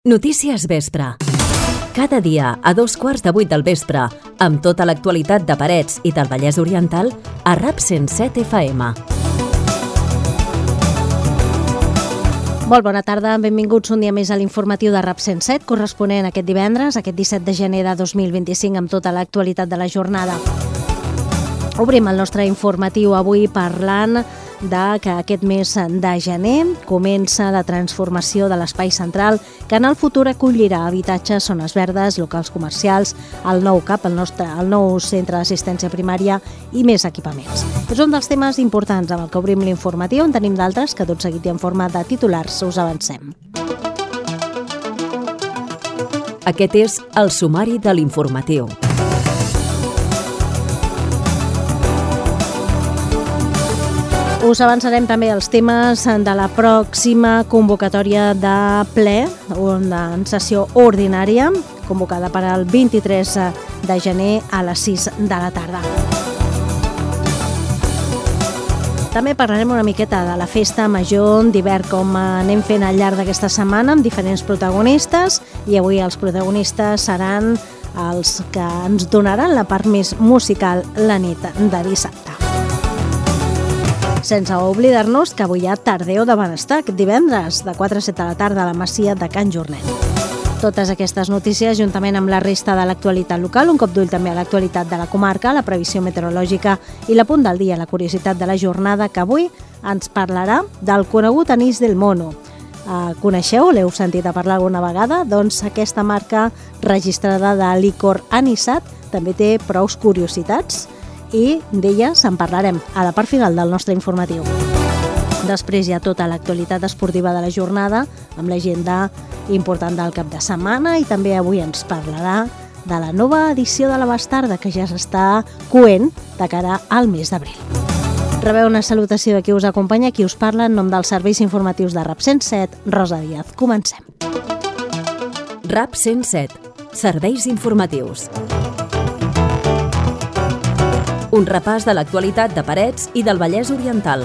Notícies Vespre. Cada dia a 7:15 del vespre, amb tota l'actualitat de Parets i del Vallès Oriental, a RAP 107 FM. Molt bona tarda, benvinguts un dia més a l'informatiu de RAP 107, corresponent aquest divendres, aquest 17 de gener de 2025, amb tota l'actualitat de la jornada. Obrim el nostre informatiu avui parlant que aquest mes de gener comença la transformació de l'espai central que en el futur acollirà habitatges, zones verdes, locals comercials, el nou CAP, el nou centre d'assistència primària i més equipaments. És un dels temes importants amb el que obrim l'informatiu, en tenim d'altres que tot seguit i en forma de titulars us avancem. Aquest és el sumari de l'informatiu. Us avançarem també els temes de la pròxima convocatòria de ple, en sessió ordinària, convocada per al 23 de gener a les 6 de la tarda. També parlarem una miqueta de la festa major d'hivern, com anem fent al llarg d'aquesta setmana amb diferents protagonistes, i avui els protagonistes seran els que ens donaran la part més musical la nit de dissabte. Sense oblidar-nos que avui hi ha Tardeo de Benestar, aquest divendres, de 4 a 7 de la tarda a la Masia de Can Jornet. Totes aquestes notícies, juntament amb la resta de l'actualitat local, un cop d'ull també a l'actualitat de la comarca, la previsió meteorològica i la punt del dia, la curiositat de la jornada, que avui ens parlarà del conegut anís del mono. Coneixeu, l'heu sentit a parlar alguna vegada? Doncs aquesta marca registrada de licor anisat també té prous curiositats, i d'elles en parlarem a la part final del nostre informatiu. Després hi ha tota l'actualitat esportiva de la jornada, amb l'agenda important del cap de setmana, i també avui ens parlarà de la nova edició de la Bastarda, que ja s'està coent de cara al mes d'abril. Rebeu una salutació de qui us acompanya, qui us parla en nom dels serveis informatius de RAP 107, Rosa Díaz. Comencem. RAP 107. Serveis informatius. Un repàs de l'actualitat de Parets i del Vallès Oriental.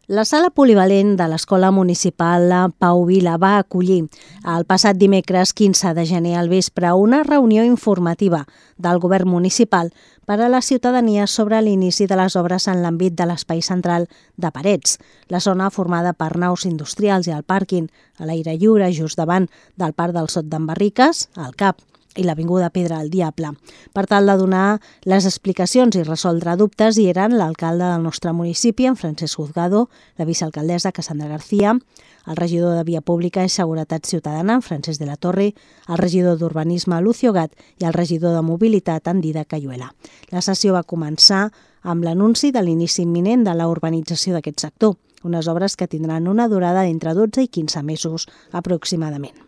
La sala polivalent de l'Escola Municipal Pau Vila va acollir el passat dimecres 15 de gener al vespre una reunió informativa del Govern Municipal per a la ciutadania sobre l'inici de les obres en l'àmbit de l'espai central de Parets, la zona formada per naus industrials i el pàrquing a l'aire lliure just davant del Parc del Sot d'en Barriques, al CAP, i l'Avinguda Pedra del Diable. Per tal de donar les explicacions i resoldre dubtes, hi eren l'alcalde del nostre municipi, en Francesc Juzgado, la vicealcaldessa Cassandra García, el regidor de Via Pública i Seguretat Ciutadana, en Francesc de la Torre, el regidor d'Urbanisme, Lucio Gat, i el regidor de Mobilitat, en Didac Cayuela. La sessió va començar amb l'anunci de l'inici imminent de la urbanització d'aquest sector, unes obres que tindran una durada d'entre 12 i 15 mesos aproximadament.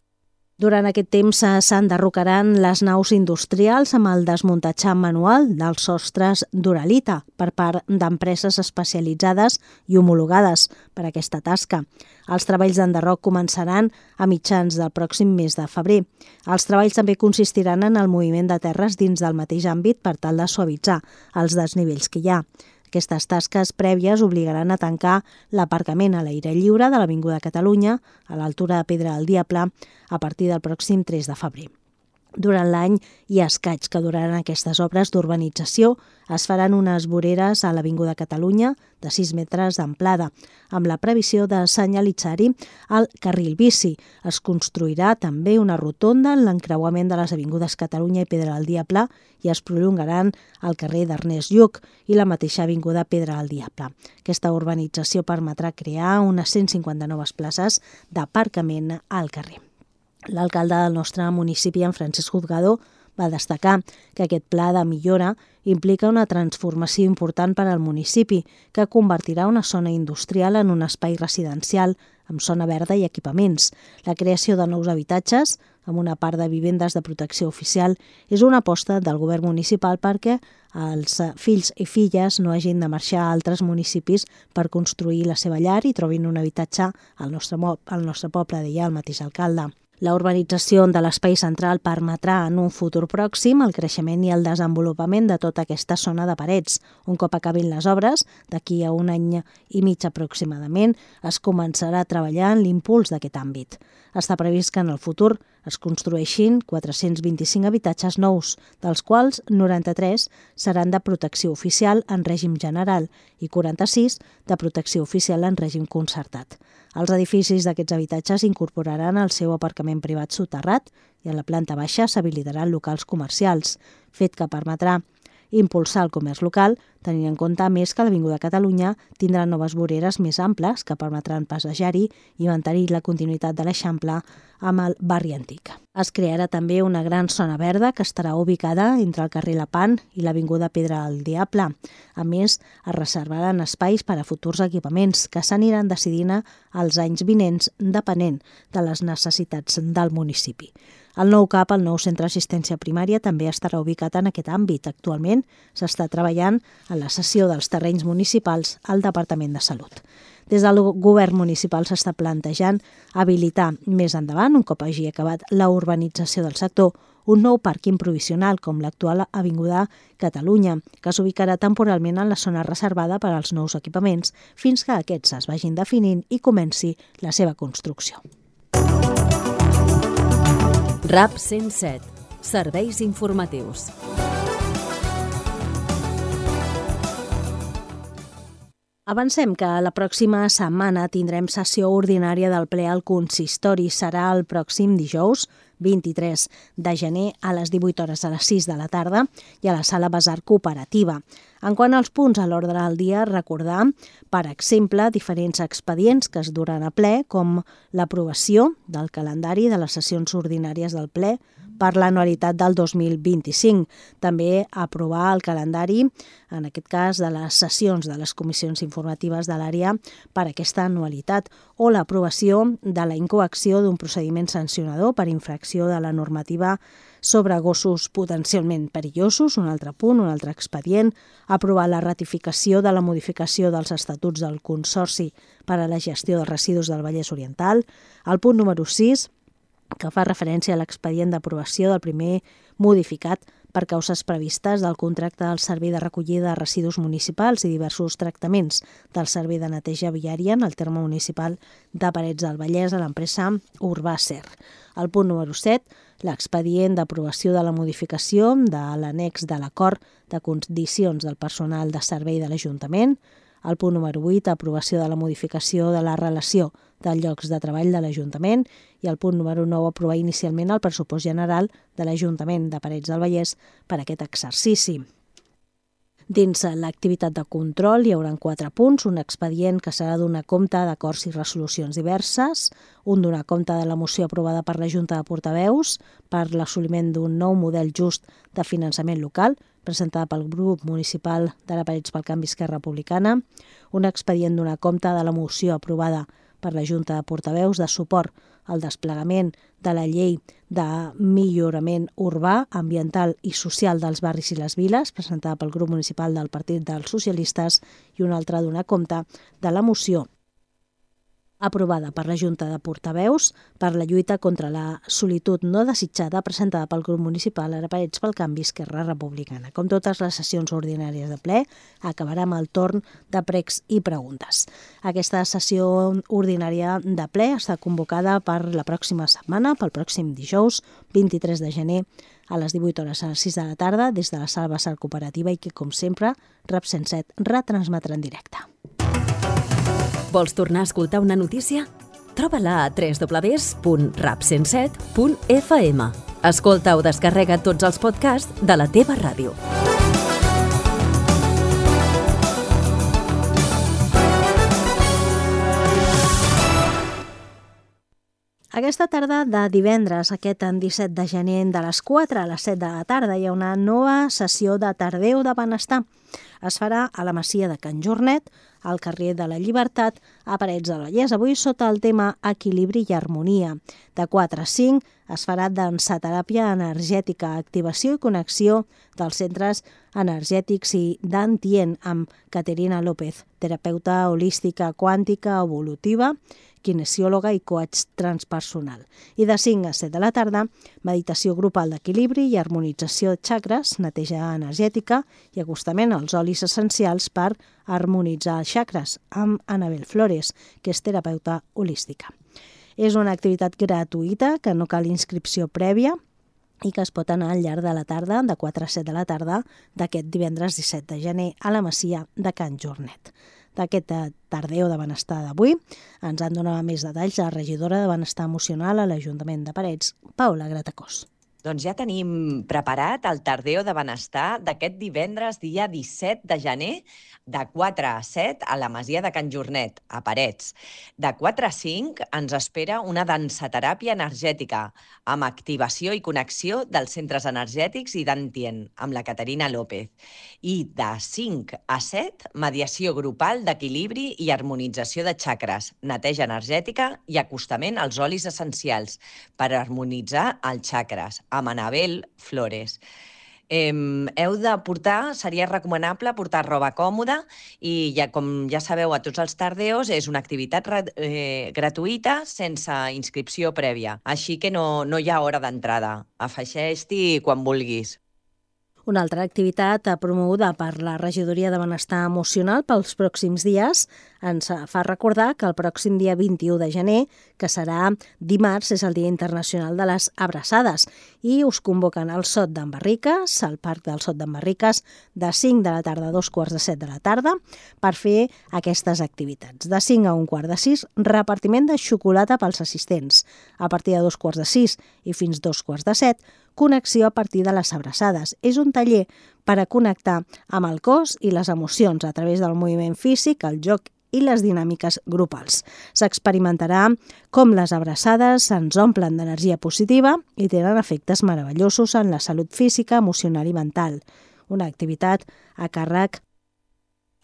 Durant aquest temps s'enderrocaran les naus industrials amb el desmuntatge manual dels sostres d'uralita per part d'empreses especialitzades i homologades per a aquesta tasca. Els treballs d'enderroc començaran a mitjans del pròxim mes de febrer. Els treballs també consistiran en el moviment de terres dins del mateix àmbit per tal de suavitzar els desnivells que hi ha. Aquestes tasques prèvies obligaran a tancar l'aparcament a l'aire lliure de l'Avinguda Catalunya, a l'altura de Pedra del Diable, a partir del pròxim 3 de febrer. Durant l'any i escaig que duraran aquestes obres d'urbanització, es faran unes voreres a l'Avinguda Catalunya de 6 metres d'amplada, amb la previsió de senyalitzar-hi el carril bici. Es construirà també una rotonda en l'encreuament de les avingudes Catalunya i Pedra del Diable i es prolongaran el carrer d'Ernest Lluc i la mateixa avinguda Pedra del Diable. Aquesta urbanització permetrà crear unes 150 noves places d'aparcament al carrer. L'alcalde del nostre municipi, en Francesc Juzgado, va destacar que aquest pla de millora implica una transformació important per al municipi, que convertirà una zona industrial en un espai residencial amb zona verda i equipaments. La creació de nous habitatges, amb una part de vivendes de protecció oficial, és una aposta del govern municipal perquè els fills i filles no hagin de marxar a altres municipis per construir la seva llar i trobin un habitatge al nostre poble, deia el mateix alcalde. La urbanització de l'espai central permetrà en un futur pròxim el creixement i el desenvolupament de tota aquesta zona de Parets. Un cop acabin les obres, d'aquí a 1 any i mig aproximadament, es començarà a treballar en l'impuls d'aquest àmbit. Està previst que en el futur es construeixin 425 habitatges nous, dels quals 93 seran de protecció oficial en règim general i 46 de protecció oficial en règim concertat. Els edificis d'aquests habitatges incorporaran el seu aparcament privat soterrat i a la planta baixa s'habilitaran locals comercials, fet que permetrà impulsar el comerç local, tenint en compte més que l'Avinguda Catalunya tindrà noves voreres més amples que permetran passejar-hi i mantenir la continuïtat de l'Eixample amb el barri antic. Es crearà també una gran zona verda que estarà ubicada entre el carrer Lapant i l'Avinguda Pedra del Diable. A més, es reservaran espais per a futurs equipaments que s'aniran decidint als anys vinents depenent de les necessitats del municipi. El nou CAP, el nou centre d'assistència primària, també estarà ubicat en aquest àmbit. Actualment s'està treballant en la cessió dels terrenys municipals al Departament de Salut. Des del govern municipal s'està plantejant habilitar més endavant, un cop hagi acabat la urbanització del sector, un nou pàrquing provisional com l'actual Avinguda Catalunya, que s'ubicarà temporalment en la zona reservada per als nous equipaments fins que aquests es vagin definint i comenci la seva construcció. RAP 107. Serveis informatius. Avancem que la pròxima setmana tindrem sessió ordinària del ple al consistori. Serà el pròxim dijous, 23 de gener, a les 18 hores a les 6 de la tarda i a la sala Basar Cooperativa. En quant als punts a l'ordre del dia, recordar, per exemple, diferents expedients que es duran a ple, com l'aprovació del calendari de les sessions ordinàries del ple per l'anualitat del 2025. També aprovar el calendari, en aquest cas, de les sessions de les comissions informatives de l'àrea per aquesta anualitat, o l'aprovació de la incoacció d'un procediment sancionador per infracció de la normativa sobre gossos potencialment perillosos, un altre punt, un altre expedient, aprovar la ratificació de la modificació dels estatuts del Consorci per a la gestió de residus del Vallès Oriental, el punt número 6, que fa referència a l'expedient d'aprovació del primer modificat per causes previstes del contracte del servei de recollida de residus municipals i diversos tractaments del servei de neteja viària en el terme municipal de Parets del Vallès a l'empresa Urbacer. El punt número 7, l'expedient d'aprovació de la modificació de l'annex de l'acord de condicions del personal de servei de l'Ajuntament. El punt número 8, aprovació de la modificació de la relació de llocs de treball de l'Ajuntament. I el punt número 9, aprovar inicialment el pressupost general de l'Ajuntament de Parets del Vallès per a aquest exercici. Dins l'activitat de control hi haurà 4 punts, un expedient que serà donar compte d'acords i resolucions diverses, un donar compte de la moció aprovada per la Junta de Portaveus per l'assoliment d'un nou model just de finançament local, presentada pel grup municipal de la Parets pel Canvi Esquerra Republicana, un expedient donar compte de la moció aprovada per la Junta de Portaveus de suport al desplegament de la llei de millorament urbà, ambiental i social dels barris i les viles, presentada pel grup municipal del Partit dels Socialistes, i un altre donar compte de la moció aprovada per la Junta de Portaveus per la lluita contra la solitud no desitjada, presentada pel grup municipal a Parets pel Canvi Esquerra Republicana. Com totes les sessions ordinàries de ple, acabarà amb el torn de pregs i preguntes. Aquesta sessió ordinària de ple està convocada per la pròxima setmana, pel pròxim dijous, 23 de gener, a les 18 hores a les 6 de la tarda, des de la sala Basar Cooperativa i que, com sempre, RAP 107 retransmetrà en directe. Vols tornar a escoltar una notícia? Troba-la a www.rap107.fm. Escolta o descarrega tots els podcasts de la teva ràdio. Aquesta tarda de divendres, aquest 17 de gener, de les 4 a les 7 de la tarda, hi ha una nova sessió de Tardeu de Benestar. Es farà a la Masia de Can Jornet, al carrer de la Llibertat, a Parets del Vallès. Avui sota el tema Equilibri i Harmonia. De 4 a 5 es farà dansateràpia energètica, activació i connexió dels centres energètics i d'Antient amb Caterina López, terapeuta holística quàntica evolutiva, kinesiòloga i coach transpersonal. I de 5 a 7 de la tarda, meditació grupal d'equilibri i harmonització de xacres, neteja energètica i acostament als olis essencials per harmonitzar els xacres amb Anabel Flores, que és terapeuta holística. És una activitat gratuïta que no cal inscripció prèvia i que es pot anar al llarg de la tarda, de 4 a 7 de la tarda, d'aquest divendres 17 de gener a la Masia de Can Jornet. D'aquest tardeo de benestar d'avui ens en dona més detalls la regidora de Benestar Emocional a l'Ajuntament de Parets, Paula Gratacós. Doncs ja tenim preparat el tardeo de benestar d'aquest divendres, dia 17 de gener, de 4 a 7 a la Masia de Can Jornet, a Parets. De 4 a 5 ens espera una dansateràpia energètica amb activació i connexió dels centres energètics i d'Antien, amb la Caterina López. I de 5 a 7, mediació grupal d'equilibri i harmonització de xacres, neteja energètica i acostament als olis essencials per harmonitzar els xacres, amb Anabel Flores. Seria recomanable portar roba còmoda i, com ja sabeu, a tots els tardeos és una activitat gratuïta sense inscripció prèvia. Així que no hi ha hora d'entrada. Afegeix-t'hi quan vulguis. Una altra activitat promoguda per la Regidoria de Benestar Emocional pels pròxims dies ens fa recordar que el pròxim dia 21 de gener, que serà dimarts, és el Dia Internacional de les Abraçades i us convoquen al Sot d'en Barriques, al Parc del Sot d'en Barriques, de 5 de la tarda a 2:45 de la tarda per fer aquestes activitats. De 5 a 1:15, repartiment de xocolata pels assistents. A partir de 2:15 i fins 2:15, connexió a partir de les abraçades. És un taller per a connectar amb el cos i les emocions a través del moviment físic, el joc i les dinàmiques grupals. S'experimentarà com les abraçades ens omplen d'energia positiva i tenen efectes meravellosos en la salut física, emocional i mental. Una activitat a càrrec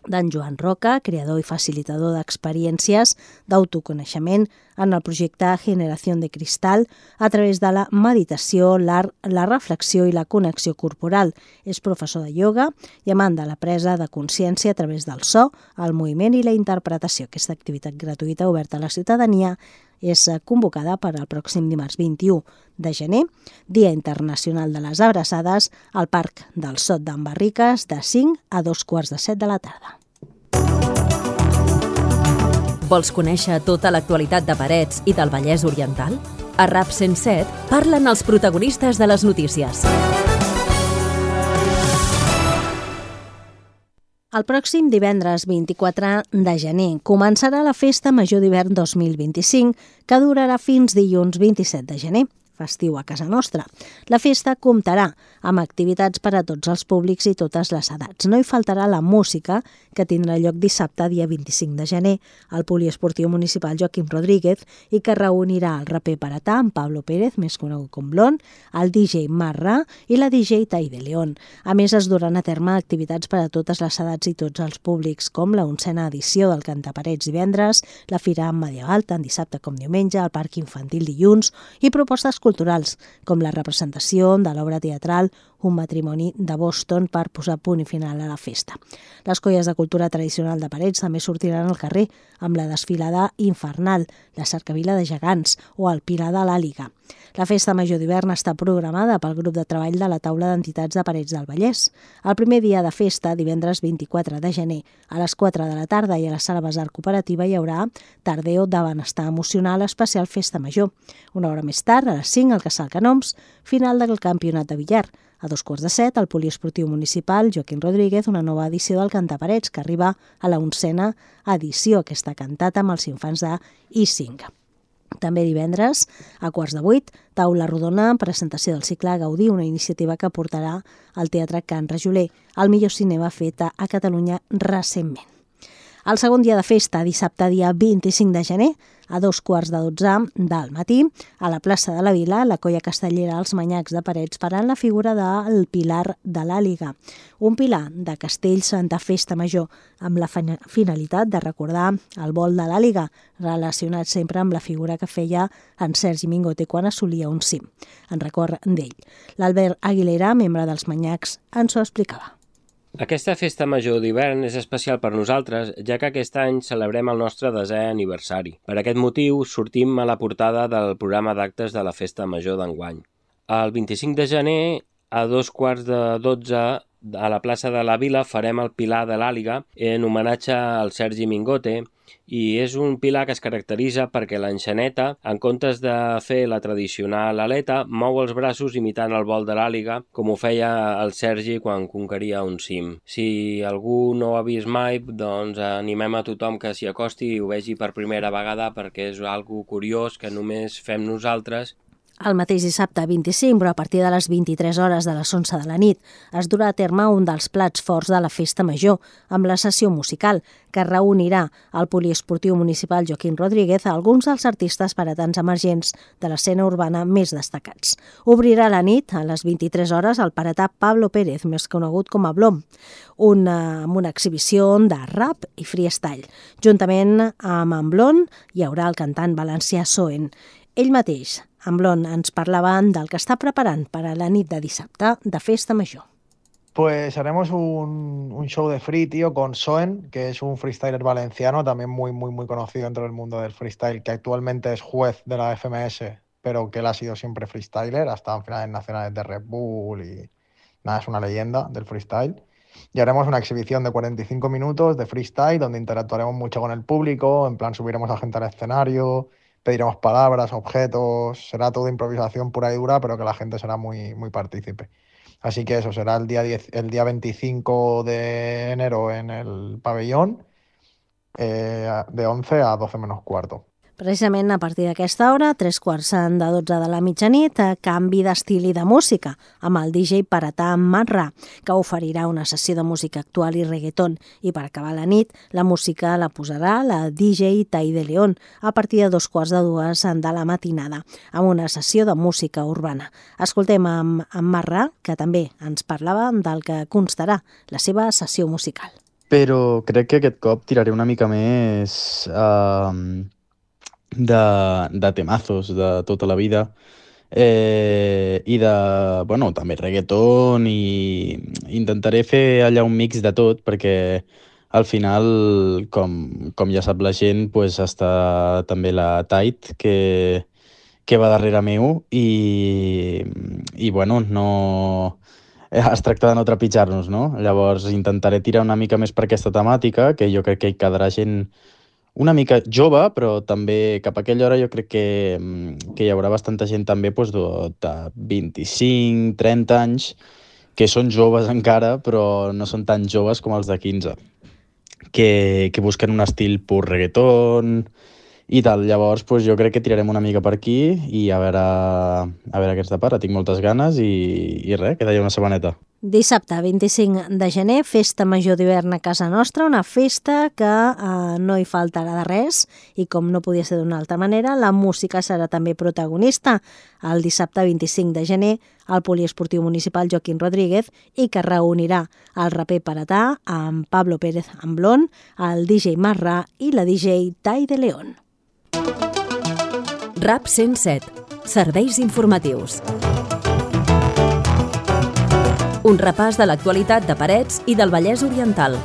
d'en Joan Roca, creador i facilitador d'experiències d'autoconeixement en el projecte Generació de Cristal a través de la meditació, l'art, la reflexió i la connexió corporal. És professor de ioga i amant de la presa de consciència a través del so, el moviment i la interpretació. Aquesta activitat gratuïta oberta a la ciutadania és convocada per al pròxim dimarts 21 de gener, Dia Internacional de les Abraçades, al Parc del Sot d'en Barriques, de 5 a 2:15 de la tarda. Vols conèixer tota l'actualitat de Parets i del Vallès Oriental? A RAP 107 parlen els protagonistes de les notícies. El pròxim divendres 24 de gener començarà la Festa Major d'Hivern 2025, que durarà fins dilluns 27 de gener, festiu a casa nostra. La festa comptarà amb activitats per a tots els públics i totes les edats. No hi faltarà la música, que tindrà lloc dissabte, dia 25 de gener, al Poliesportiu Municipal Joaquim Rodríguez, i que reunirà el raper paratà, en Pablo Pérez, més conegut com Blon, el DJ Marra i la DJ Tai de León. A més, es duran a terme activitats per a totes les edats i tots els públics, com la 11a edició del Cantaparets divendres, la Fira Medieval, tant dissabte com diumenge, el Parc Infantil dilluns, i propostes culturals, com la representació de l'obra teatral Un matrimoni de Boston, per posar punt i final a la festa. Les colles de cultura tradicional de Parets també sortiran al carrer amb la desfilada infernal, la cercavila de gegants o el Pilar de l'Àliga. La Festa Major d'Hivern està programada pel grup de treball de la Taula d'Entitats de Parets del Vallès. El primer dia de festa, divendres 24 de gener, a les 4 de la tarda i a la Sala Besar Cooperativa hi haurà tardeo de benestar emocional especial Festa Major. Una hora més tard, a les 5, al Casal Canoms, final del campionat de billar. A 2:15, al Poliesportiu Municipal Joaquim Rodríguez, una nova edició del Cantaparets, que arriba a la 11a edició, que està cantata amb els infants de I5. També divendres, a 7:15, taula rodona, presentació del cicle Gaudí, una iniciativa que portarà al Teatre Can Rajoler, el millor cinema fet a Catalunya recentment. El segon dia de festa, dissabte, dia 25 de gener, a 2:15 del matí, a la plaça de la Vila, la colla castellera Els Manyacs de Parets faran la figura del Pilar de l'Àliga, un pilar de castells de festa major, amb la finalitat de recordar el vol de l'Àliga, relacionat sempre amb la figura que feia en Sergi Mingote quan assolia un cim, en record d'ell. L'Albert Aguilera, membre dels Manyacs, ens ho explicava. Aquesta festa major d'hivern és especial per nosaltres, ja que aquest any celebrem el nostre 10è aniversari. Per aquest motiu, sortim a la portada del programa d'actes de la festa major d'enguany. El 25 de gener, a 11:45, a la plaça de la Vila farem el Pilar de l'Àliga en homenatge al Sergi Mingote, i és un pilar que es caracteritza perquè l'enxaneta, en comptes de fer la tradicional aleta, mou els braços imitant el vol de l'àliga, com ho feia el Sergi quan conqueria un cim. Si algú no ho ha vist mai, doncs animem a tothom que s'hi acosti i ho vegi per primera vegada, perquè és algo curiós que només fem nosaltres. El mateix dissabte 25, però a partir de les 23 hores de les 11 de la nit, es durà a terme un dels plats forts de la festa major, amb la sessió musical, que reunirà al Poliesportiu Municipal Joaquín Rodríguez a alguns dels artistes paratans emergents de l'escena urbana més destacats. Obrirà la nit, a les 23 hores, el paratà Pablo Pérez, més conegut com a Blom, amb una exhibició de rap i freestyle. Juntament amb en Blon hi haurà el cantant valencià Soen. Ell mateix, en Blon, ens parlava del que està preparant per a la nit de dissabte de festa major. Pues haremos un show de free, tío, con Soen, que es un freestyler valenciano, también muy conocido dentro del mundo del freestyle, que actualmente es juez de la FMS, pero que él ha sido siempre freestyler, hasta en finales nacionales de Red Bull y nada, es una leyenda del freestyle. Y haremos una exhibición de 45 minutos de freestyle, donde interactuaremos mucho con el público, en plan subiremos a gente al escenario, pediremos palabras, objetos, será toda improvisación pura y dura, pero que la gente será muy partícipe. Así que eso, será el día 25 de enero en el pabellón, de 11 a 12 menos cuarto. Precisament a partir d'aquesta hora, 11:45 de la mitjanit, canvi d'estil i de música, amb el DJ paratà Marrà, que oferirà una sessió de música actual i reggaeton. I per acabar la nit, la música la posarà la DJ Tai de León a partir de 2:45 de la matinada, amb una sessió de música urbana. Escoltem amb Marrà, que també ens parlava del que constarà la seva sessió musical. Però crec que aquest cop tiraré una mica més de temazos de tota la vida i també reggaeton, i intentaré fer allà un mix de tot, perquè al final, com ja sap la gent, pues, està també la Tait, que va darrere meu, i no... Es tracta de no trepitjar-nos, no? Llavors intentaré tirar una mica més per aquesta temàtica, que jo crec que hi quedarà gent una mica jove, però també cap a aquella hora jo crec que hi haurà bastanta gent també de 25, 30 anys, que són joves encara, però no són tan joves com els de 15, que busquen un estil pur reggaeton i tal. Llavors jo crec que tirarem una mica per aquí i a veure què ens depara. Tinc moltes ganes i res, queda ja una setmaneta. Dissabte 25 de gener, festa major d'hivern a casa nostra, una festa que no hi faltarà de res, i com no podia ser d'una altra manera, la música serà també protagonista. El dissabte 25 de gener, al Poliesportiu Municipal Joaquín Rodríguez, i que reunirà el raper paratà amb Pablo Pérez Amblón, el DJ Marrà i la DJ Tai de León. RAP 107. Serveis informatius. Un repàs de l'actualitat de Parets i del Vallès Oriental.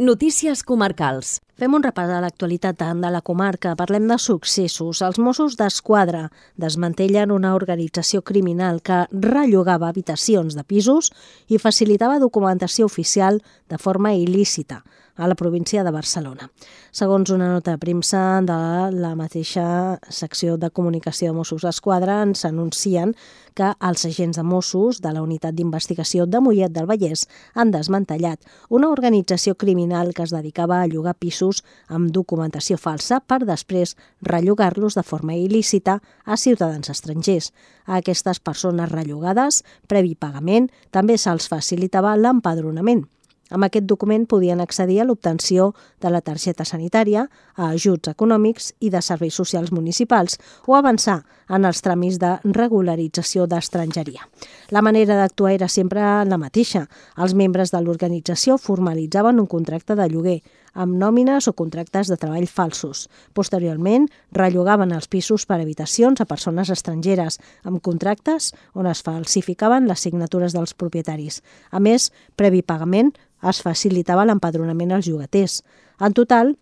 Notícies comarcals. Fem un repàs de l'actualitat de la comarca. Parlem de successos. Els Mossos d'Esquadra desmantellen una organització criminal que rellogava habitacions de pisos i facilitava documentació oficial de forma il·lícita a la província de Barcelona. Segons una nota de premsa de la mateixa secció de comunicació de Mossos d'Esquadra, ens anuncien que els agents de Mossos de la Unitat d'Investigació de Mollet del Vallès han desmantellat una organització criminal que es dedicava a llogar pisos amb documentació falsa per després rellogar-los de forma il·lícita a ciutadans estrangers. A aquestes persones rellogades, previ pagament, també se'ls facilitava l'empadronament. Amb aquest document podien accedir a l'obtenció de la targeta sanitària, a ajuts econòmics i de serveis socials municipals o avançar en els tràmits de regularització d'estrangeria. La manera d'actuar era sempre la mateixa. Els membres de l'organització formalitzaven un contracte de lloguer amb nòmines o contractes de treball falsos. Posteriorment, rellogaven els pisos per habitacions a persones estrangeres, amb contractes on es falsificaven les signatures dels propietaris. A més, previ pagament, es facilitava l'empadronament als llogaters. En total,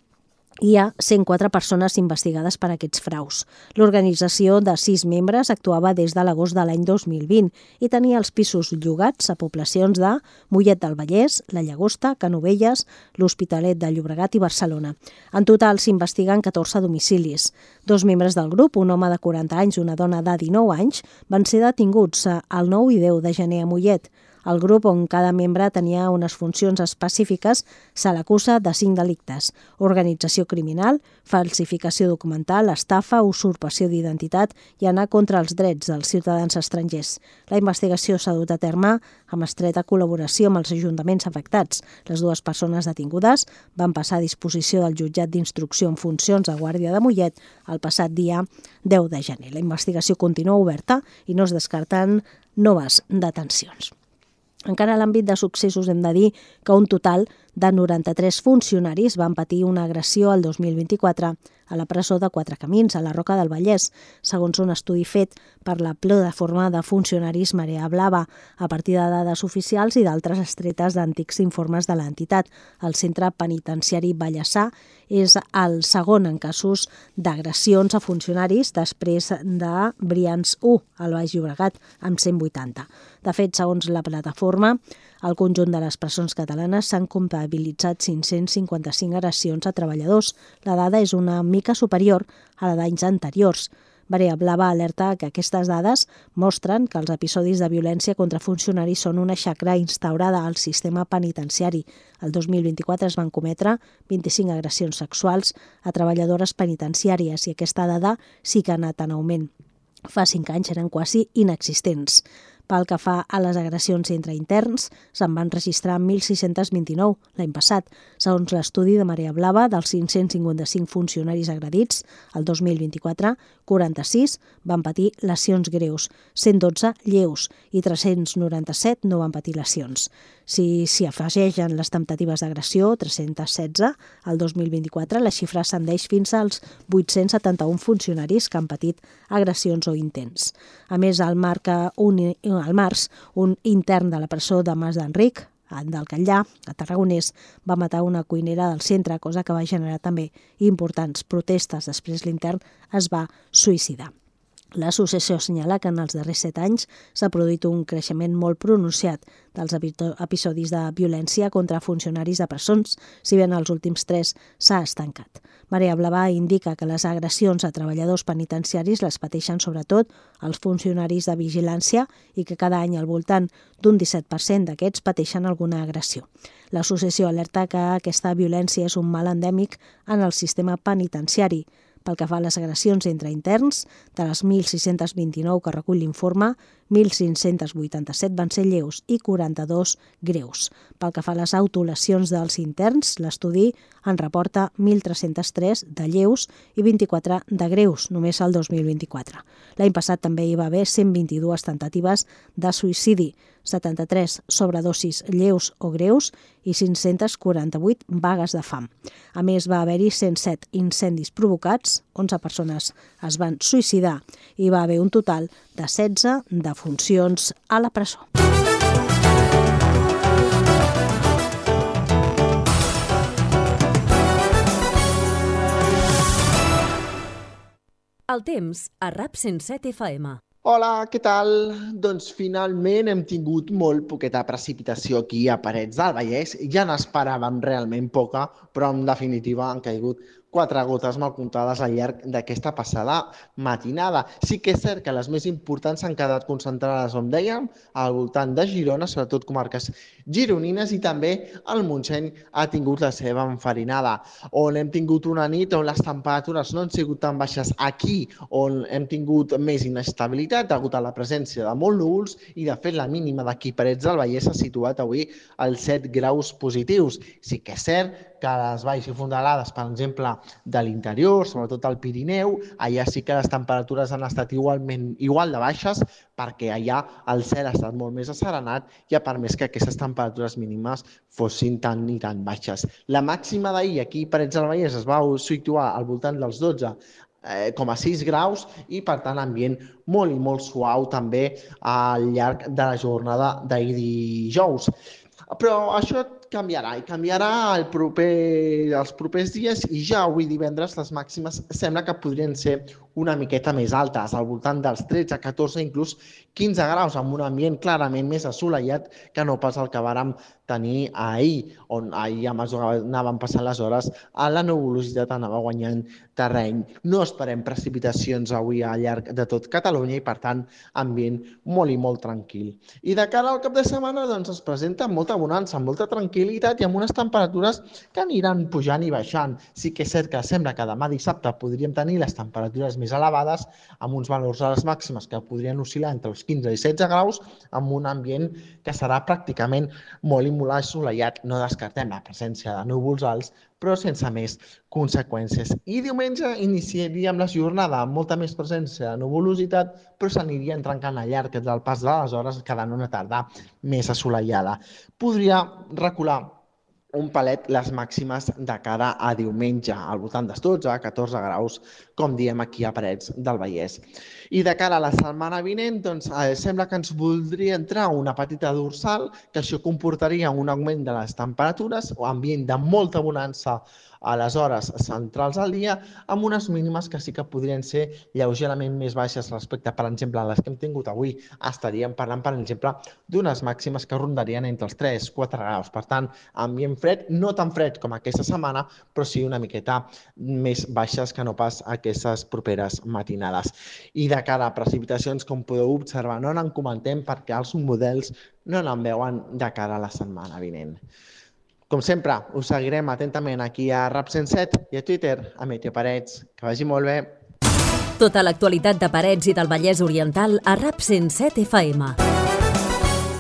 hi ha 104 persones investigades per aquests fraus. L'organització de 6 membres actuava des de l'agost de l'any 2020 i tenia els pisos llogats a poblacions de Mollet del Vallès, La Llagosta, Canovelles, l'Hospitalet de Llobregat i Barcelona. En total s'investiguen 14 domicilis. 2 membres del grup, un home de 40 anys i una dona de 19 anys, van ser detinguts el 9 i 10 de gener a Mollet. El grup, on cada membre tenia unes funcions específiques, se l'acusa de 5 delictes: organització criminal, falsificació documental, estafa, usurpació d'identitat i anar contra els drets dels ciutadans estrangers. La investigació s'ha dut a terme amb estreta col·laboració amb els ajuntaments afectats. Les 2 persones detingudes van passar a disposició del jutjat d'instrucció en funcions de Guàrdia de Mollet el passat dia 10 de gener. La investigació continua oberta i no es descarten noves detencions. Encara a l'àmbit de successos hem de dir que un total de 93 funcionaris van patir una agressió el 2024 a la presó de Quatre Camins, a la Roca del Vallès, segons un estudi fet per la plataforma de funcionaris Marea Blava, a partir de dades oficials i d'altres extretes d'antics informes de l'entitat. El centre penitenciari Vallèsà és el segon en casos d'agressions a funcionaris després de Brians 1, al Baix Llobregat, amb 180. De fet, segons la plataforma, al conjunt de les presons catalanes s'han comptabilitzat 555 agressions a treballadors. La dada és una mica superior a la d'anys anteriors. Marea Blava alerta que aquestes dades mostren que els episodis de violència contra funcionaris són una xacra instaurada al sistema penitenciari. El 2024 es van cometre 25 agressions sexuals a treballadores penitenciàries i aquesta dada sí que ha anat en augment. Fa 5 anys eren quasi inexistents. Pel que fa a les agressions entre interns, se'n van registrar 1.629 l'any passat. Segons l'estudi de Marea Blava, dels 555 funcionaris agredits, el 2024, 46 van patir lesions greus, 112 lleus i 397 no van patir lesions. Si s'hi afegeixen les temptatives d'agressió, 316, el 2024, la xifra ascendeix fins als 871 funcionaris que han patit agressions o intents. A més, al març, un intern de la presó de Mas d'Enric, del Catllà, a Tarragonès, va matar una cuinera del centre, cosa que va generar també importants protestes. Després l'intern es va suïcidar. L'associació assenyala que en els darrers 7 anys s'ha produït un creixement molt pronunciat dels episodis de violència contra funcionaris de presons, si bé en els últims 3 s'ha estancat. Marea Blava indica que les agressions a treballadors penitenciaris les pateixen sobretot els funcionaris de vigilància i que cada any al voltant d'un 17% d'aquests pateixen alguna agressió. L'associació alerta que aquesta violència és un mal endèmic en el sistema penitenciari. Pel que fa a les agressions entre interns, de les 1.629 que recull l'informe, 1.587 van ser lleus i 42 greus. Pel que fa a les autolesions dels interns, l'estudi en reporta 1.303 de lleus i 24 de greus, només el 2024. L'any passat també hi va haver 122 tentatives de suïcidi, 73 sobredosis lleus o greus i 548 vagues de fam. A més, va haver-hi 107 incendis provocats, 11 persones es van suïcidar i va haver un total de 16 defuncions a la presó. El temps a RAP 107 FM. Hola, què tal? Doncs finalment hem tingut molt poqueta precipitació aquí a Parets del Vallès. Ja n'esperàvem realment poca, però en definitiva han caigut 4 gotes mal comptades al llarg d'aquesta passada matinada. Sí que és cert que les més importants s'han quedat concentrades, com dèiem, al voltant de Girona, sobretot comarques gironines, i també el Montseny ha tingut la seva enfarinada, on hem tingut una nit on les temperatures no han sigut tan baixes aquí, on hem tingut més inestabilitat degut a la presència de molts núvols, i de fet la mínima d'aquí Parets del Vallès s'ha situat avui als 7 graus positius. Sí que és cert que que les valls i fondalades, per exemple, de l'interior, sobretot al Pirineu, allà sí que les temperatures han estat igual de baixes, perquè allà el cel ha estat molt més asserenat i ha permès que aquestes temperatures mínimes fossin tan i tan baixes. La màxima d'ahir aquí a Parets del Vallès es va situar al voltant dels 12,6 graus i, per tant, ambient molt i molt suau també al llarg de la jornada d'ahir dijous. Però això canviarà els propers dies i ja avui divendres les màximes sembla que podrien ser una miqueta més altes, al voltant dels 13, 14, inclús 15 graus, amb un ambient clarament més assolellat que no pas el que vàrem tenir ahir, on ahir, a mesura que anaven passant les hores, la nuvolositat anava guanyant terreny. No esperem precipitacions avui al llarg de tot Catalunya i, per tant, ambient molt i molt tranquil. I de cara al cap de setmana doncs, es presenta molta bonança, molta tranquil·litat i amb unes temperatures que aniran pujant i baixant. Sí que és cert que sembla que demà dissabte podríem tenir les temperatures més elevades, amb uns valors a les màximes que podrien oscil·lar entre els 15 i 16 graus, amb un ambient que serà pràcticament molt i molt assolellat. No descartem la presència de núvols alts, però sense més conseqüències. I diumenge iniciaríem la jornada amb molta més presència de nuvolositat, però s'aniria trencant al llarg del pas de les hores, quedant una tarda més assolellada. Podria recular un palet les màximes de cara a diumenge, al voltant dels 12-14 graus, com diem aquí a Parets del Vallès. I de cara a la setmana vinent, doncs, sembla que ens voldria entrar una petita dorsal, que això comportaria un augment de les temperatures, o ambient de molta bonança a les hores centrals del dia, amb unes mínimes que sí que podrien ser lleugerament més baixes respecte, per exemple, a les que hem tingut avui. Estaríem parlant, per exemple, d'unes màximes que rondarien entre els 3-4 graus. Per tant, ambient fred, no tan fred com aquesta setmana, però sí una miqueta més baixes que no pas aquestes properes matinades. I de cara a precipitacions, com podeu observar, no n'en comentem perquè els models no n'en veuen de cara a la setmana vinent. Com sempre, us seguirem atentament aquí a RAP 107 i a Twitter, a Meteo Parets. Que vagi molt bé. Tota l'actualitat de Parets i del Vallès Oriental a RAP 107 FM.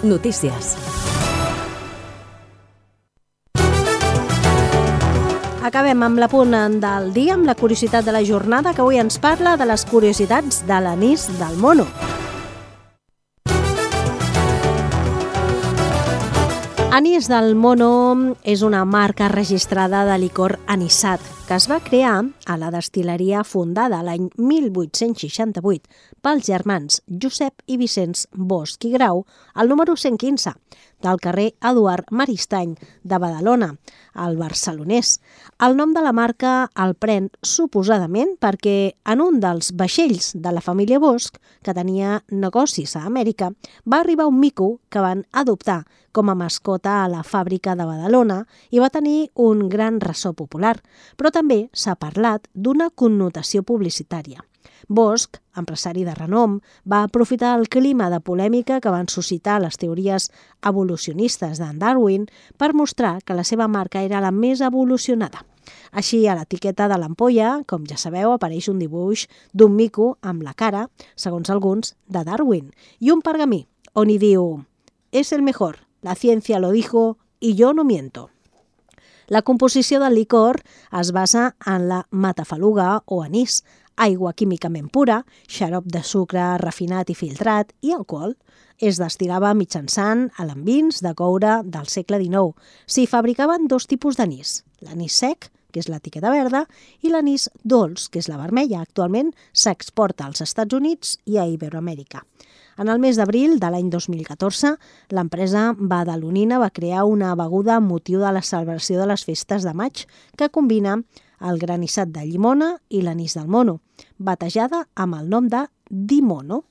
Notícies. Acabem amb l'apunt del dia, amb la curiositat de la jornada, que avui ens parla de les curiositats de l'anís del mono. Anís del Mono és una marca registrada de licor anisat que es va crear a la destil·leria fundada l'any 1868 pels germans Josep i Vicenç Bosch i Grau al número 115 del carrer Eduard Maristany de Badalona, al Barcelonès. El nom de la marca el pren suposadament perquè en un dels vaixells de la família Bosch, que tenia negocis a Amèrica, va arribar un mico que van adoptar com a mascota a la fàbrica de Badalona i va tenir un gran ressò popular, però també s'ha parlat d'una connotació publicitària. Bosch, empresari de renom, va aprofitar el clima de polèmica que van suscitar les teories evolucionistes d'en Darwin per mostrar que la seva marca era la més evolucionada. Així, a l'etiqueta de l'ampolla, com ja sabeu, apareix un dibuix d'un mico amb la cara, segons alguns, de Darwin, i un pergamí, on hi diu «Es el mejor, la ciencia lo dijo y yo no miento». La composició del licor es basa en la matafaluga o anís, aigua químicament pura, xarop de sucre refinat i filtrat i alcohol. Es destil·lava mitjançant alambins de coure del segle XIX. S'hi fabricaven dos tipus d'anís, l'anís sec, que és l'etiqueta verda, i l'anís dolç, que és la vermella. Actualment s'exporta als Estats Units i a Iberoamèrica. En el mes d'abril de l'any 2014, l'empresa badalonina va crear una beguda amb motiu de la celebració de les festes de maig que combina el granissat de llimona i l'anís del mono, batejada amb el nom de Dimono.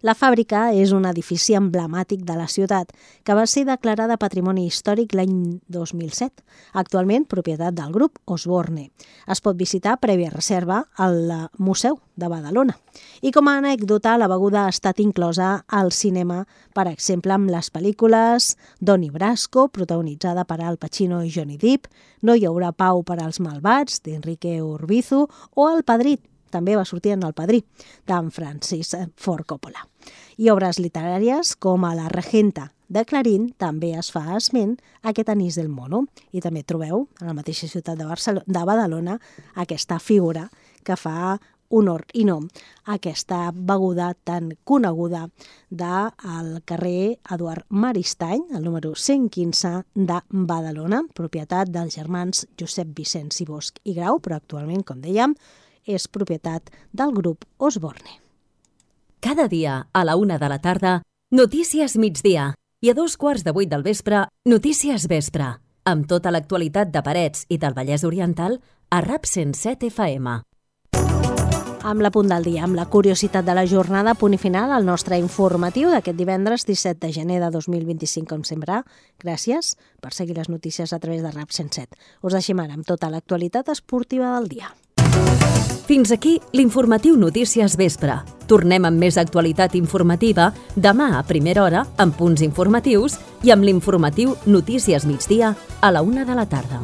La fàbrica és un edifici emblemàtic de la ciutat que va ser declarada Patrimoni Històric l'any 2007, actualment propietat del grup Osborne. Es pot visitar prèvia reserva al Museu de Badalona. I com a anècdota, la beguda ha estat inclosa al cinema, per exemple, amb les pel·lícules Donnie Brasco, protagonitzada per Al Pacino i Johnny Depp, No hi haurà pau per als malvats, d'Enrique Urbizu, o El Padrí, també va sortir en El Padrí, d'en Francis Ford Coppola. I obres literàries com a La Regenta, de Clarín també es fa esment a aquest anís del mono i també trobeu a la mateixa ciutat de Badalona aquesta figura que fa honor i nom a aquesta beguda tan coneguda del carrer Eduard Maristany, el número 115 de Badalona, propietat dels germans Josep Vicenç i Bosch i Grau, però actualment, com dèiem, és propietat del grup Osborne. Cada dia, a la 1 de la tarda, Notícies Migdia i a 2:15 del vespre, Notícies Vespre, amb tota l'actualitat de Parets i del Vallès Oriental a RAP 107 FM. Amb la punt del dia, amb la curiositat de la jornada, punt i final al nostre informatiu d'aquest divendres 17 de gener de 2025, com sempre. Gràcies per seguir les notícies a través de RAP 107. Us deixem ara amb tota l'actualitat esportiva del dia. Fins aquí l'informatiu Notícies Vespre. Tornem amb més actualitat informativa demà a primera hora amb punts informatius i amb l'informatiu Notícies Migdia a la 1 de la tarda.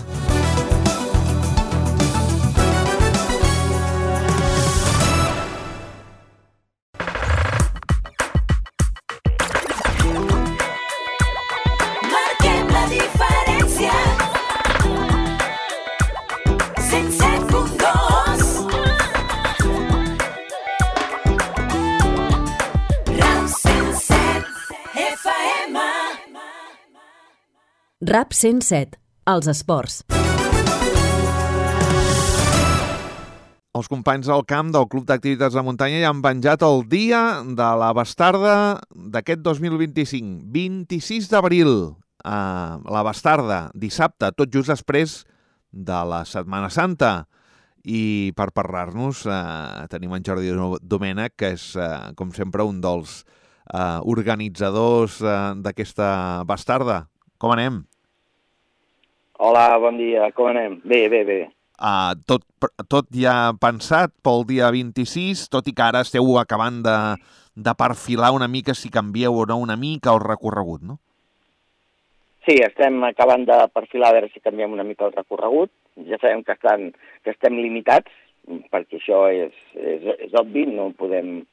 RAP 107, els esports. Els companys del camp del Club d'Activitats de Muntanya ja han penjat el dia de la bastarda d'aquest 2025, 26 d'abril. La bastarda, dissabte, tot just després de la Setmana Santa. I per parlar-nos tenim en Jordi Domènech, que és, com sempre, un dels organitzadors d'aquesta bastarda. Com anem? Hola, bon dia, com anem? Bé. Tot ja pensat pel dia 26, tot i que ara esteu acabant de perfilar una mica si canvieu o no una mica el recorregut, no? Sí, estem acabant de perfilar a veure si canviem una mica el recorregut. Ja sabem que estem limitats, perquè això és obvi, no podem...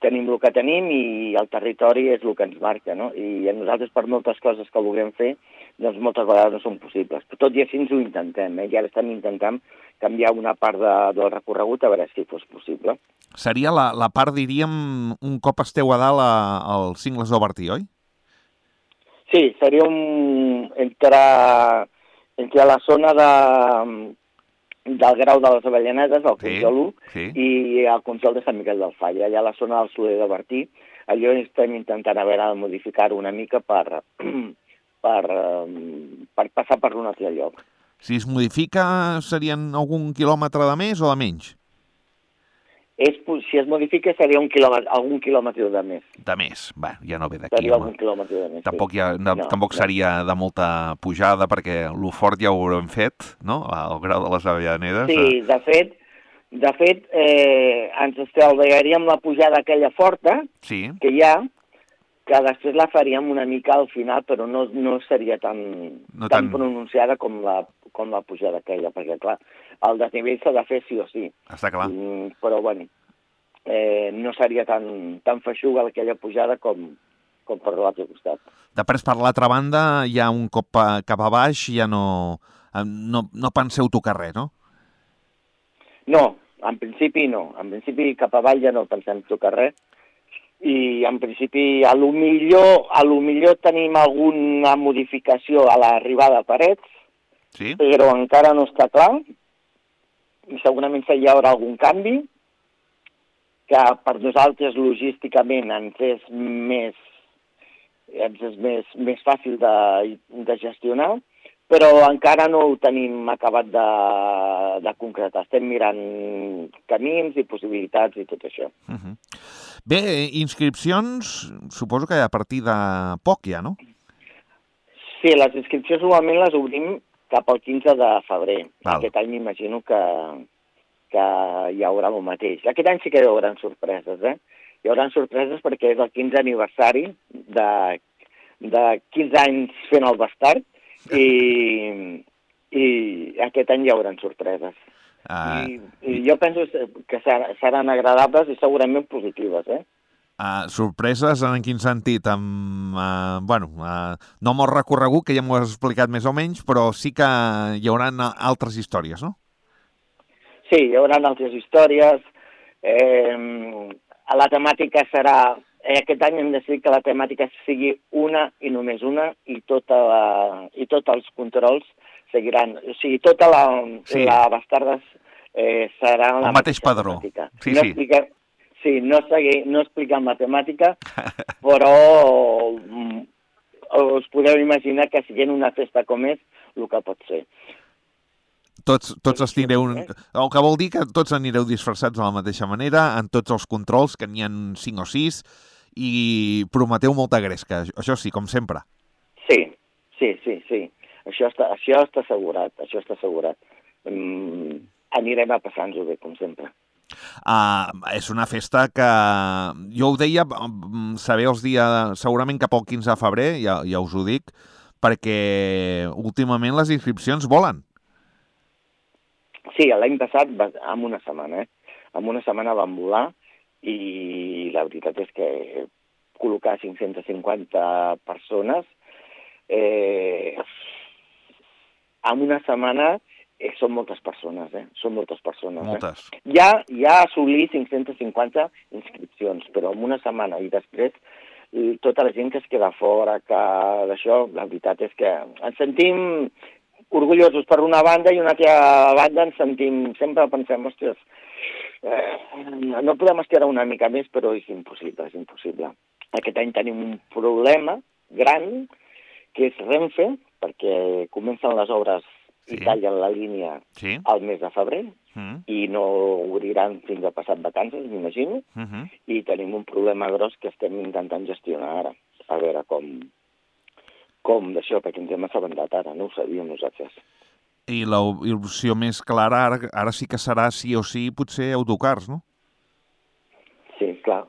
Tenim el que tenim i el territori és el que ens marca, no? I a nosaltres, per moltes coses que vulguem fer, doncs moltes vegades no són possibles. Però tot i així ens ho intentem, I ara estem intentant canviar una part del recorregut a veure si fos possible. Seria la part, diríem, un cop esteu a dalt al Cingles d'Obertí, oi? Sí, seria entre la zona del Grau de les Avellanedes, el Consol 1, i el Consol de Sant Miquel del Falla. Allà a la zona del Soler de Bertí, allò estem intentant a veure de modificar-ho una mica per passar per un altre lloc. Si es modifica, serien algun quilòmetre de més o de menys? Si es modifica seria algun quilòmetre de més. De més, ja no ve d'aquí. Seria algun quilòmetre de més, Tampoc seria de molta pujada, perquè lo fort ja ho haurem fet, no?, al Grau de les Avellanedes. Sí, de fet, ens estalviaríem la pujada aquella forta que hi ha, que després la faríem una mica al final, però no seria tan pronunciada com la pujada aquella, perquè, clar, el desnivell s'ha de fer sí o sí. Està clar. Però, bueno, no seria tan feixuga aquella pujada com per l'altre costat. Després, per l'altra banda, ja un cop cap a baix ja no penseu tocar res, no? No, en principi no. En principi cap avall ja no pensem tocar res. I en principi a lo millor tenim alguna modificació a l'arribada a Parets, però encara no està clar. I segurament hi haurà algun canvi, que per nosaltres logísticament ens és més fàcil de gestionar, però encara no ho tenim acabat de concretar. Estem mirant camins i possibilitats i tot això. Bé, inscripcions, suposo que a partir de poc ja, no? Sí, les inscripcions normalment les obrim cap al 15 de febrer. Aquest any m'imagino que hi haurà el mateix. Aquest any sí que hi haurà sorpreses, Hi haurà sorpreses perquè és el 15 aniversari de 15 anys fent el bastard i aquest any hi haurà sorpreses. I jo penso que seran agradables i segurament positives, Sorpreses en quin sentit? No molt recorregut, que ja m'ho has explicat més o menys, però sí que hi haurà altres històries, no? Sí, hi haurà altres històries. La temàtica serà... Aquest any hem decidit que la temàtica sigui una i només una, i tots els controls seguiran. O sigui, tota la Bastardes serà la mateix padró. Temàtica. Sí, no sí. No expliquem la temàtica, però us podeu imaginar que siguent una festa com és, el que pot ser. Tots anireu... El que vol dir que tots anireu disfressats de la mateixa manera, en tots els controls, que n'hi ha 5 o 6, i prometeu molta gresca, això sí, com sempre. Sí. Això està assegurat, anirem a passar-nos-ho bé, com sempre. És una festa que, jo ho deia, sabeu els dies, segurament cap al 15 de febrer, ja us ho dic, perquè últimament les inscripcions volen. Sí, l'any passat, en una setmana, en una setmana van volar, i la veritat és que col·locar 550 persones en una setmana són moltes persones, són moltes persones. Moltes. Ja assolir 550 inscripcions, però en una setmana i després tota la gent que es queda fora, que d'això, la veritat és que ens sentim orgullosos per una banda i una altra banda ens sentim, sempre pensem, ostres, no podem estirar una mica més, però és impossible. Aquest any tenim un problema gran, que és Renfe, perquè comencen les obres i tallen la línia al mes de febrer, i no obriran fins a passat vacances, m'imagino, i tenim un problema gros que estem intentant gestionar ara, a veure com d'això, perquè ens hem assabentat ara, no ho sabíem nosaltres. I l'opció més clara ara sí que serà sí o sí potser autocars, no? Sí, clar.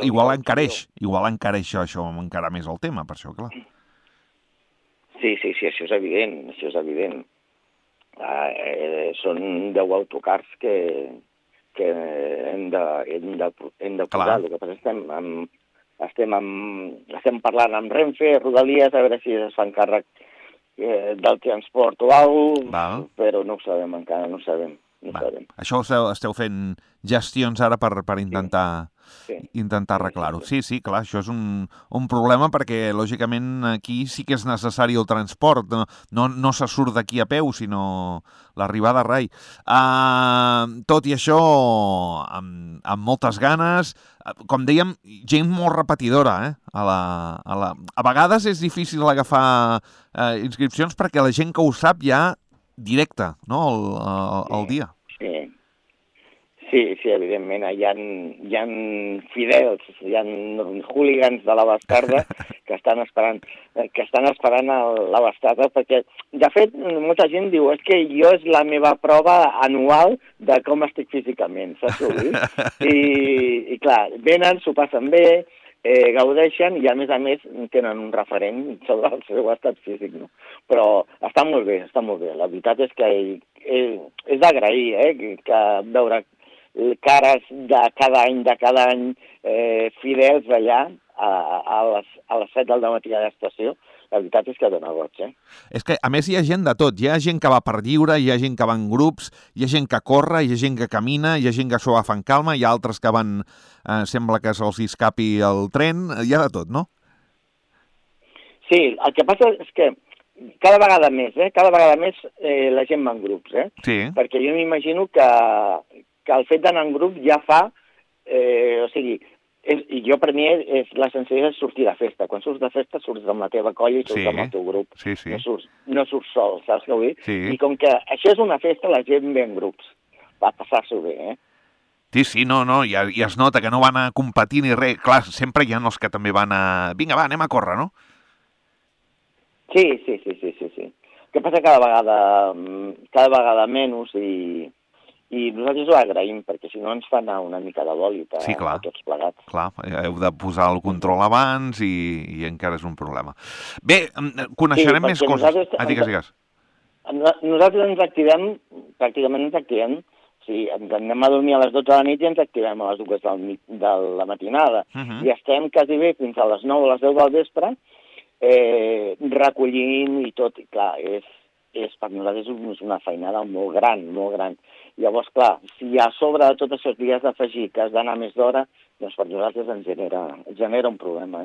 Igual encareix això encara més el tema, per això, clar. Sí, això és evident, Són 10 autocars que hem de posar. El que passa és que estem parlant amb Renfe, Rodalies, a veure si es fan càrrec del transport o alguna cosa, però no ho sabem encara, no ho sabem. Això esteu fent gestions ara per intentar arreglar-ho. Sí, clar, això és un problema perquè, lògicament, aquí sí que és necessari el transport. No se surt d'aquí a peu, sinó l'arribada a rai. Tot i això, amb moltes ganes, com dèiem, gent molt repetidora. A vegades és difícil agafar inscripcions perquè la gent que ho sap ja directe, no?, el dia. Sí, evidentment, hi ha fidels, hi ha hooligans de la Bastarda que estan esperant la Bastarda, perquè, de fet, molta gent diu que jo és la meva prova anual de com estic físicament, saps? I clar, venen, s'ho passen bé, gaudeixen i, a més, tenen un referent sobre el seu estat físic, no? Però està molt bé. La veritat és que és d'agrair, que veure cares de cada any fidels allà a les 7 del matí a l'estació. La veritat és que dona goig, És que, a més, hi ha gent de tot. Hi ha gent que va per lliure, hi ha gent que va en grups, hi ha gent que corre, hi ha gent que camina, hi ha gent que s'ho va fent calma, hi ha altres que van... sembla que se'ls escapi el tren, hi ha de tot, no? Sí, el que passa és que cada vegada més la gent va en grups, Sí. Perquè jo m'imagino que el fet d'anar en grup ja fa... I jo, per mi, la sensació és sortir de festa. Quan surts de festa, surts amb la teva colla i surts amb el teu grup. Sí. No surts sol, saps què vull dir? Sí. I com que això és una festa, la gent ve en grups. Va passar-s'ho bé, Sí, no, i es nota que no van a competir ni res. Clar, sempre hi ha els que també van a... Vinga, va, anem a córrer, no? Sí. El que passa cada vegada menys i nosaltres ho agraïm, perquè si no ens fa anar una mica de bòlit a tots plegats. Clar, heu de posar el control abans i encara és un problema. Bé, coneixerem més coses. Digues. Nosaltres ens activem, pràcticament ens activem si ens anem a dormir a les 12 de la nit i ens activem a les 2 de la matinada. I estem quasi bé fins a les 9 o les 10 del vespre recollint i tot. I clar, per nosaltres és una feinada molt gran, molt gran. Llavors, clar, si a sobre de tots aquests dies d'afegir que has d'anar més d'hora, doncs per nosaltres ens genera un problema.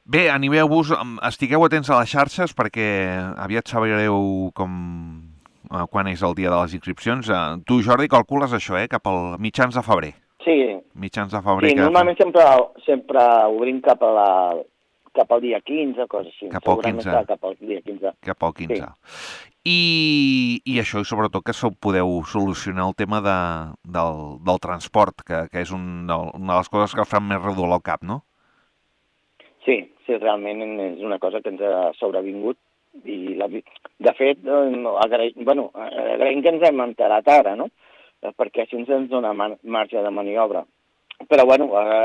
Bé, animeu-vos, estigueu atents a les xarxes perquè aviat sabreu quan és el dia de les inscripcions. Tu, Jordi, calcules això, cap al mitjans de febrer. Sí. Mitjans de febrer. Sí, normalment sempre obrim cap al dia 15, coses així. Cap al 15. Cap al dia 15. Cap al 15. Sí. I això, i sobretot, que podeu solucionar el tema del transport, que és una de les coses que fan més redolor al cap, no? Sí, realment és una cosa que ens ha sobrevingut i, de fet, agraïm que ens hem enterat ara, no? Perquè així ens dona marge de maniobra. Però,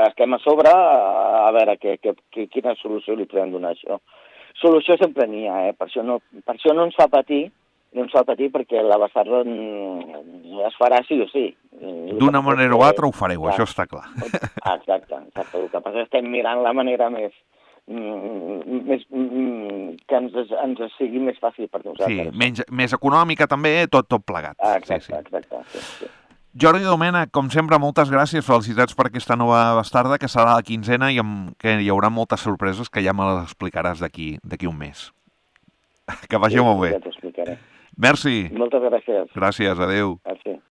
estem a sobre a veure quina solució li podem donar a això. Solució sempre n'hi ha, Per això no ens fa patir, perquè la bastarda es farà sí o sí. D'una manera o altra ho fareu, això està clar. Exacte. El que passa és que estem mirant la manera més que ens sigui més fàcil per nosaltres. Sí, més econòmica també, tot plegat. Exacte. Sí. Jordi Domènech, com sempre, moltes gràcies, felicitats per aquesta nova bastarda, que serà la 15ena i que hi haurà moltes sorpreses que ja me les explicaràs d'aquí un mes. Que vagi molt bé. Ja t'ho explicaré. Merci. Moltes gràcies. Gràcies, adeu. Gràcies.